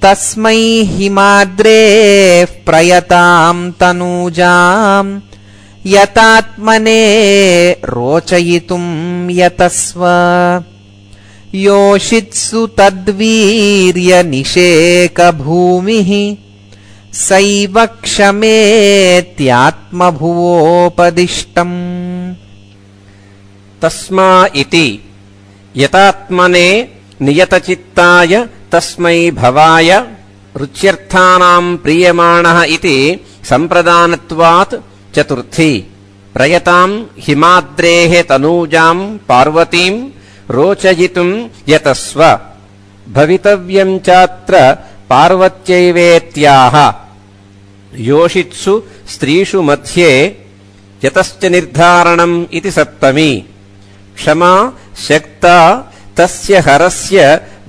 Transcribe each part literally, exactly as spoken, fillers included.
तस्मै हिमाद्रेः प्रयतां तनूजां यतात्मने रोचयितुं यतस्व योषित्सु तद्वीर्यनिषेकभूमिः सैव क्षमेत्यात्मभुवोपदिष्टम्। तस्मा इति यतात्मने नियतचित्ताय तस्मै भवाय रुच्यर्थानां प्रीयमाणः इति सम्प्रदानत्वात् चतुर्थी। प्रयतां हिमाद्रेः तनूजां पार्वतीं रोचयितुं यतस्व भवितव्यं चात्र पार्वत्यैवेत्याह। योषित्सु स्त्रीषु मध्ये यतश्च निर्धारणम् इति सप्तमी। क्षमा शक्ता तस्य हरस्य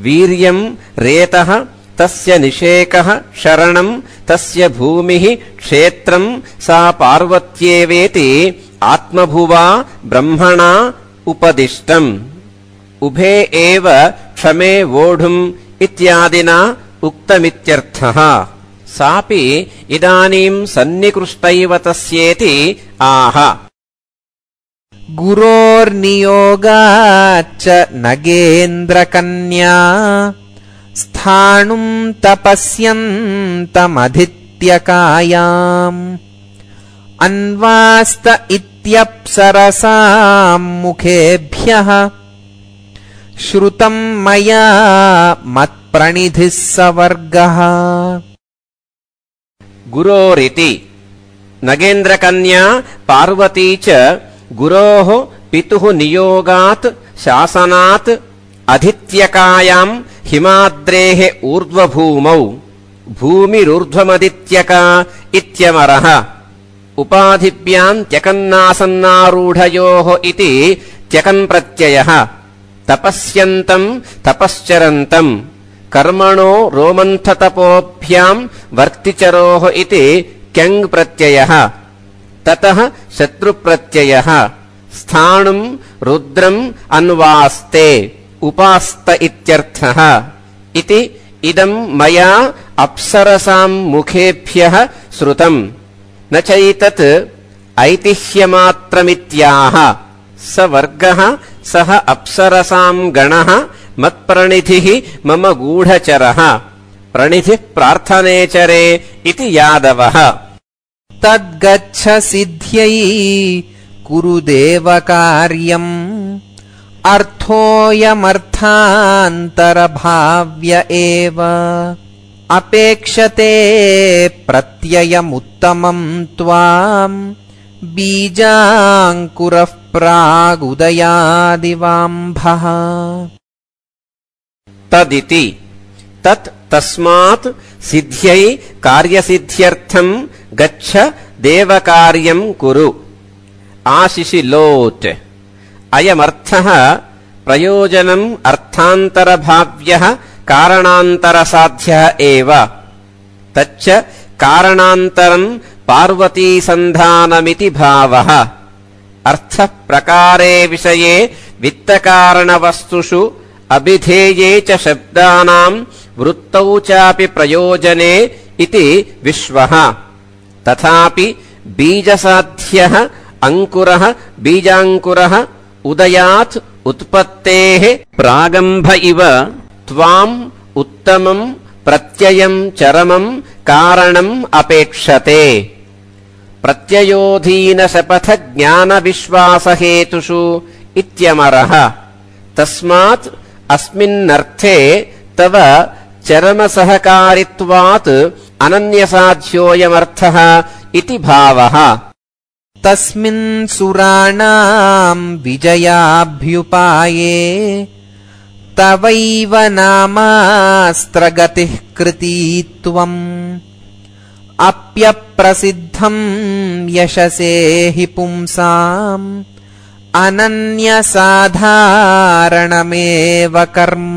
वीर्यं रेतः तस्य निषेकः शरणं तस्य भूमिः क्षेत्रं सा पार्वत्येवेति आत्मभुवा ब्रह्मणा उपदिष्टम्। उभे एव क्षमे वोढुम् इत्यादिना उक्तमित्यर्थः। सापि इदानीं सन्निकृष्टैव तस्येति आह। गुरोर्नियोगाच्च नगेन्द्रकन्या स्थाणुं तपस्यन्तमधित्यकायाम् अन्वास्त इत्यप्सरसां मुखेभ्यः श्रुतं मया मत्प्रणिधिः सवर्गः। गुरोरिति नगेन्द्रकन्या पार्वती च गुरोः पितुः नियोगात् शासनात् अधित्यकायां हिमाद्रेः ऊर्ध्वभूमौ भूमिरूर्ध्वमदित्यका इत्यमरः। उपाधिभ्यां त्यकन्नासन्नारूढयोः इति त्यकन् प्रत्ययः। तपस्यन्तं तपश्चरन्तं कर्मणो रोमन्थतपोभ्यां वर्तिचरोः इति क्यङ् प्रत्ययः। ततः शत्रुप्रत्ययः। स्थाणुं रुद्रम् अन्वास्ते उपास्त इत्यर्थः। इति इदं मया अप्सरसां मुखेभ्यः श्रुतम् न चैतत् ऐतिह्यमात्रमित्याह। स वर्गः सः अप्सरसां गणः मत्प्रणिधिः मम गूढचरः प्रणिधिः प्रार्थनेचरे इति यादवः। तद्गच्छ सिद्ध्यै कुरु देवकार्यम् अर्थोऽयमर्थान्तरभाव्य एव अपेक्षते प्रत्ययमुत्तमं त्वाम् बीजाङ्कुरः प्रागुदयादिवाम्भः। तदिति तत् तस्मात् सिद्ध्यै कार्यसिद्ध्यर्थं गच्छ देवकार्यं कुरु। आशिशिलोत् अयमर्थः प्रयोजनम् अर्थान्तरभाव्यः कारणान्तरसाध्यः एव। तच्च कारणान्तरम् पार्वतीसन्धानमिति भावः। अर्थः प्रकारे विषये वित्तकारणवस्तुषु अभिधेये च शब्दानां वृत्तौ चापि प्रयोजने इति विश्वः। तथापि बीजसाध्यः अंकुरः बीजांकुरः उदयात् उत्पत्तेः प्रागंभ इव त्वाम् उत्तमम् प्रत्ययम् चरमम् कारणम् अपेक्षते। प्रत्ययोधीनशपथ ज्ञानविश्वासहेतुषु इत्यमरः। तस्मात् अस्मिन्नर्थे तव चरमसहकारित्वात् अनन्यसाध्योऽयमर्थः इति भावः। तस्मिन् सुराणां विजयाभ्युपाये तवैव नामास्त्रगतिः कृती त्वम् अप्यप्रसिद्धं यशसे हि पुंसाम् अनन्यसाधारणमेव कर्म।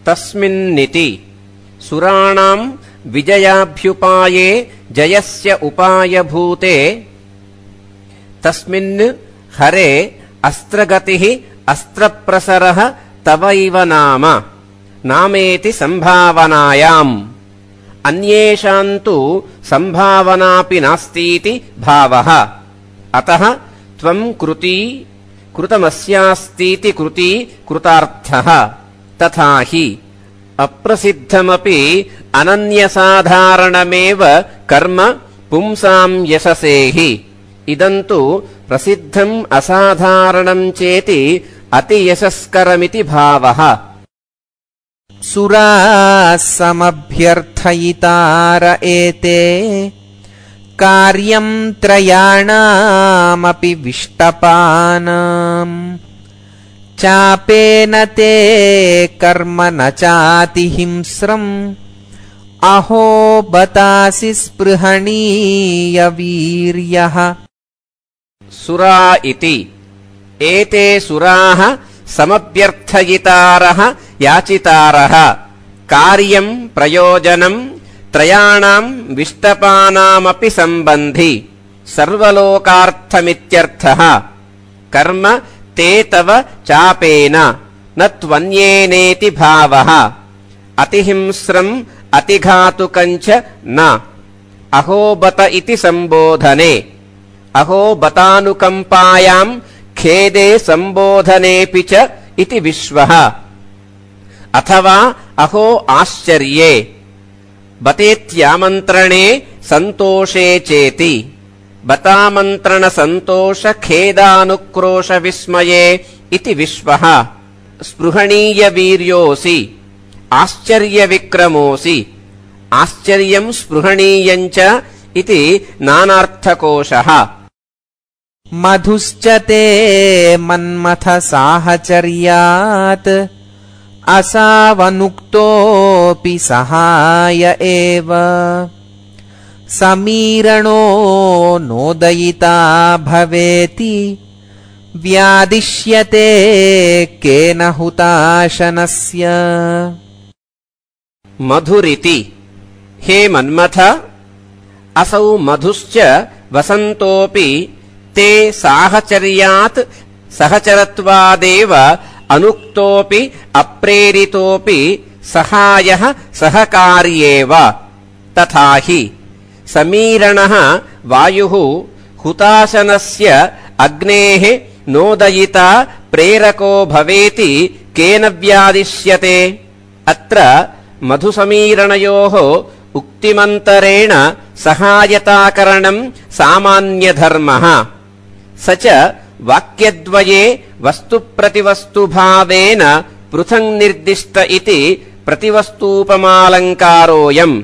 तस्मिन्निति सुराणां विजयाभ्युपाये जयस्य उपायभूते तस्मिन् हरे अस्त्रगतिः अस्त्रप्रसरः तवैव नाम नामेति संभावनायाम् अन्येषां तु संभावनापि नास्तीति भावः। अतः त्वं कृती कृतमस्यास्तीति कृती कृतार्थः। तथा हि अप्रसिद्धमपि अनन्यसाधारणमेव कर्म पुंसां यशसेहि। इदं तु प्रसिद्धम् असाधारणं चेति अतियशस्करमिति भावः। सुराः समभ्यर्थयितार एते कार्यं त्रयाणामपि विष्टपानाम् चापेन ते कर्म न चातिहिंस्रम् अहो बतासि स्पृहणीय वीर्यः। सुरा इति एते सुराः समभ्यर्थयितारः याचितारः कार्यं प्रयोजनं त्रयाणां विष्टपानामपि सम्बन्धि सर्वलोकार्थमित्यर्थः। कर्म ते तव चापेन न त्वन्येनेति भावः। अतिहिंस्रम् अतिघातुकञ्च न। अहोबत इति सम्बोधने अहोबतानुकम्पायां खेदे सम्बोधनेऽपि च इति विश्वः। अथवा अहो आश्चर्ये बतेत्यामन्त्रणे सन्तोषे चेति बतामन्त्रणसन्तोषखेदानुक्रोशविस्मये इति विश्वः। स्पृहणीयवीर्योऽसि आश्चर्यविक्रमोऽसि आश्चर्यं स्पृहणीयञ्च इति नानार्थकोशः। मधुश्च ते मन्मथ साहचर्यात् असावनुक्तोऽपि सहाय एव समीरणो नोदयिता भवेति व्यादिश्यते केन हुताशनस्य। मधुरिति हे मन्मथ असौ मधुश्च वसन्तोऽपि ते साहचर्यात् सहचरत्वादेव अनुक्तोऽपि अप्रेरितोऽपि सहायः सहकार्येव। तथा हि समीरणः वायुः हुताशनस्य अग्नेः नोदयिता प्रेरको भवेति केन व्यादिश्यते। अत्र मधुसमीरणयोः उक्तिमन्तरेण सहायताकरणं सामान्यधर्मः। स च वाक्यद्वये वस्तुप्रतिवस्तुभावेन पृथङ् निर्दिष्ट इति प्रतिवस्तूपमालङ्कारोऽयम्।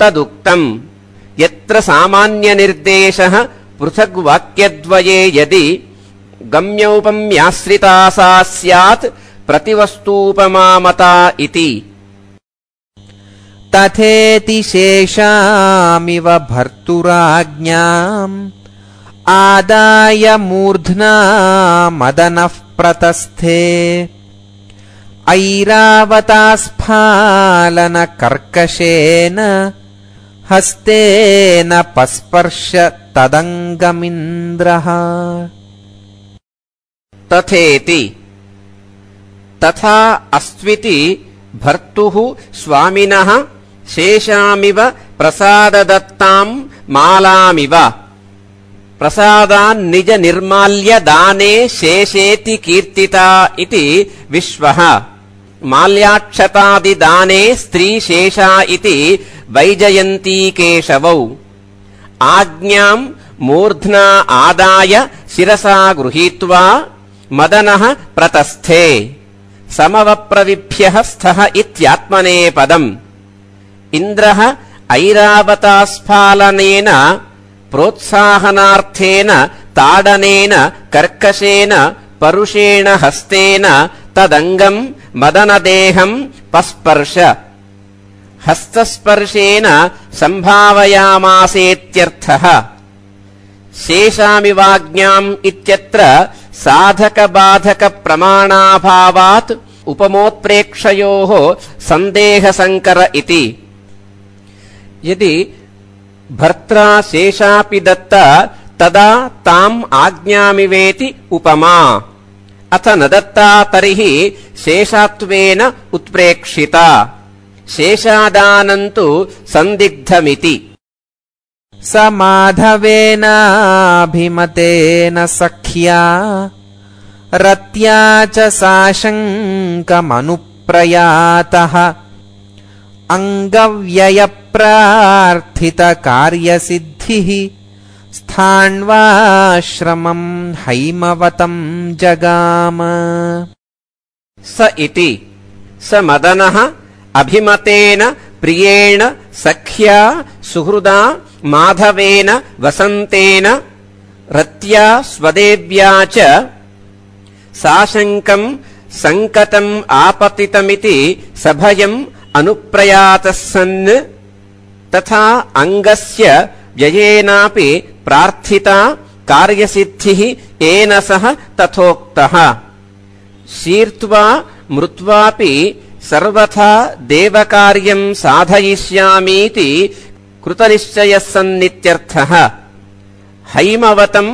तदुक्तम् यत्र सामान्यनिर्देशः पृथग्वाक्यद्वये यदि गम्योपम्याश्रिता सा स्यात् प्रतिवस्तूपमामता इति। तथेति शेषामिव भर्तुराज्ञाम् आदाय मूर्ध्ना मदनः प्रतस्थे ऐरावतास्फालन कर्कशेन हस्तेन पस्पर्श तदङ्गमिन्द्रः। तथेति तथा अस्त्विति भर्तुः स्वामिनः शेषामिव प्रसाददत्तां मालामिव प्रसादान्निज निर्माल्य दाने शेषेति कीर्तिता इति विश्वः। माल्याक्षतादिदाने स्त्रीशेषा इति वैजयन्तीकेशवौ। आज्ञां मूर्ध्ना आदाय शिरसा गृहीत्वा मदनः प्रतस्थे समवप्रविभ्यः स्थः इत्यात्मनेपदम्। इन्द्रः ऐरावतास्फालनेन प्रोत्साहनार्थेन ताडनेन कर्कशेन परुषेण हस्तेन तदङ्गम् मदनदेहम् पस्पर्श हस्तस्पर्शेन सम्भावयामासेत्यर्थः। शेषामिवाज्ञाम् इत्यत्र साधकबाधकप्रमाणाभावात् उपमोत्प्रेक्षयोः सन्देहसङ्कर इति। यदि भर्त्रा शेषापि दत्ता तदा ताम् आज्ञामिवेति उपमा। अथ न दत्ता तर्हि शेषात्वेन उत्प्रेक्षिता शेषादानन्तु सन्दिग्धमिति स माधवेनाभिमतेन सख्या रत्या च साशङ्कमनुप्रयातः अङ्गव्ययप्रार्थितकार्यसिद्धिः स्थाण्वाश्रमम् हैमवतम् जगाम। स इति स मदनः अभिमतेन प्रियेण सख्या सुहृदा माधवेन वसन्तेन रत्या स्वदेव्या च साशङ्कम् सङ्कटम् आपतितमिति सभयम् अनुप्रयातः सन् तथा अङ्गस्य व्ययेनापि प्रार्थिता कार्यसिद्धिः येन सह तथोक्तः शीर्त्वा मृत्वापि सर्वथा देवकार्यम् साधयिष्यामीति कृतनिश्चयः सन्नित्यर्थः। हैमवतम्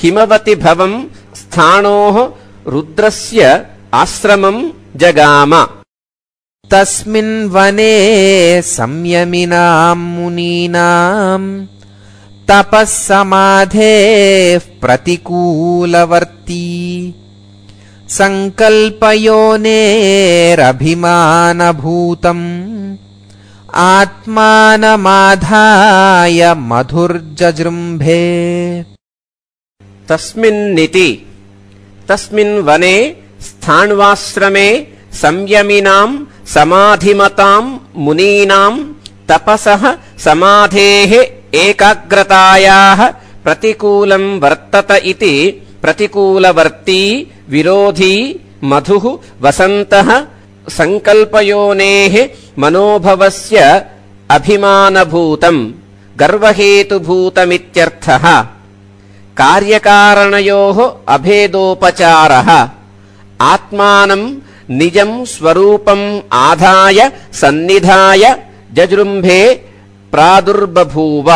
हिमवति भवम् स्थाणोः रुद्रस्य आश्रमम् जगाम। तस्मिन् वने संयमिनाम् मुनीनाम् तपः समाधेः प्रतिकूलवर्ती सङ्कल्पयोनेरभिमानभूतम् आत्मानमाधाय मधुर्जजृम्भे। तस्मिन्निति तस्मिन् वने स्थाण्वाश्रमे संयमिनाम् समाधिमताम् मुनीनाम् तपसः समाधेः एकाग्रतायाः प्रतिकूलम् वर्तत इति प्रतिकूलवर्ती विरोधी मधुः वसन्तः सङ्कल्पयोनेः मनोभवस्य अभिमानभूतम् गर्वहेतुभूतमित्यर्थः। कार्यकारणयोः अभेदोपचारः आत्मानम् निजम् स्वरूपम् आधाय सन्निधाय जजृम्भे प्रादुर्बभूव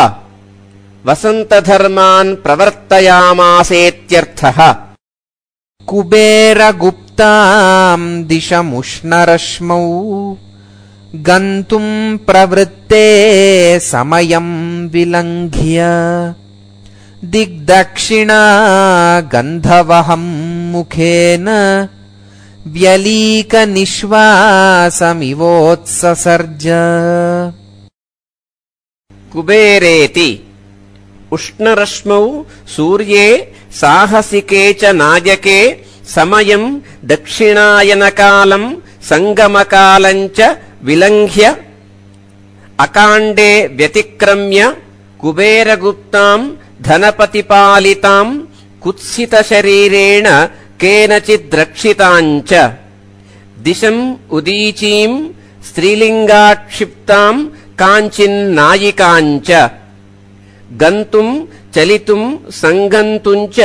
वसन्तधर्मान् प्रवर्तयामासेत्यर्थः। कुबेरगुप्ताम् दिशमुष्णरश्मौ गन्तुम् प्रवृत्ते समयम् विलङ्घ्य दिग्दक्षिणा गन्धवहम् मुखेन व्यलीकनिश्वासमिवोत्ससर्ज। कुबेरेति उष्णरश्मौ सूर्ये साहसिके च नायके समयम् दक्षिणायनकालम् सङ्गमकालम् च विलङ्घ्य अकाण्डे व्यतिक्रम्य कुबेरगुप्ताम् धनपतिपालिताम् कुत्सितशरीरेण केनचिद्रक्षिताम् च दिशम् उदीचीम् स्त्रीलिङ्गाक्षिप्ताम् काञ्चिन्नायिकाम् च गन्तुम् चलितुम् सङ्गन्तुम् च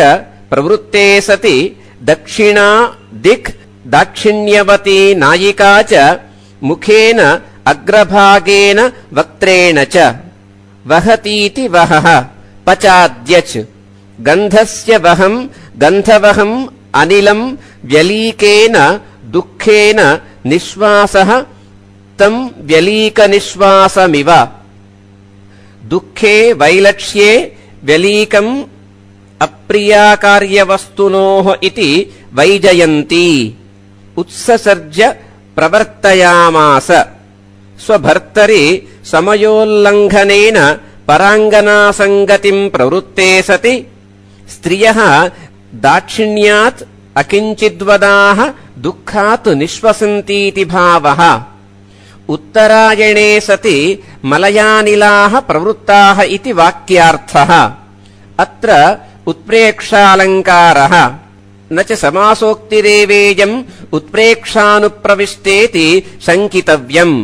प्रवृत्ते सति दक्षिणा दिक् दाक्षिण्यवती नायिका च मुखेन अग्रभागेन वक्त्रेण च वहतीति वहः पचाद्यच् गन्धस्य वहम् गन्धवहम् अनिलम् व्यलीकेन दुःखेन निःश्वासः तम् व्यलीकनिःश्वासमिव। दुःखे वैलक्ष्ये व्यलीकम् अप्रियाकार्यवस्तुनोः इति वैजयन्ती उत्ससर्ज प्रवर्तयामास। स्वभर्तरि समयोल्लङ्घनेन पराङ्गनासङ्गतिम् प्रवृत्ते सति स्त्रियः दाक्षिण्यात् अकिञ्चिद्वदाः दुःखात् निःश्वसन्तीति भावः। उत्तरायणे सति मलयानिलाः प्रवृत्ताः इति वाक्यार्थः। अत्र उत्प्रेक्षालङ्कारः न च समासोक्तिरेवेयम् उत्प्रेक्षानुप्रविष्टेति शङ्कितव्यम्।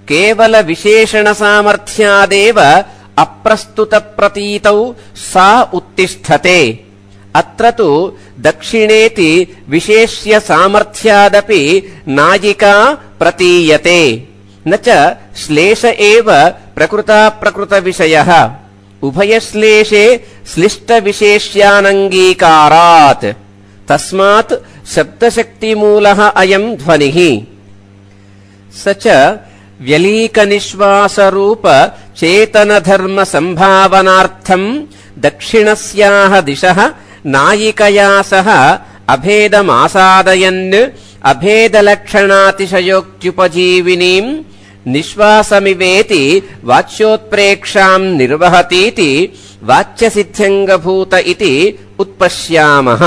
केवलविशेषणसामर्थ्यादेव अप्रस्तुतप्रतीतौ सा उत्तिष्ठते। अत्र तु दक्षिणेति विशेष्य सामर्थ्यादपि नायिका प्रतीयते न च श्लेष एव प्रकृताप्रकृतविषयः। उभयश्लेषे श्लिष्टविशेष्यानङ्गीकारात् तस्मात् शब्दशक्तिमूलः अयम् ध्वनिः। स च व्यलीकनिश्वासरूप चेतनधर्मसम्भावनार्थम् दक्षिणस्याः दिशः नायिकया सह अभेदमासादयन् अभेदलक्षणातिशयोक्त्युपजीविनीम् निश्वासमिवेति वाच्योत्प्रेक्षाम् निर्वहतीति वाच्यसिद्ध्यङ्गभूत इति उत्पश्यामः।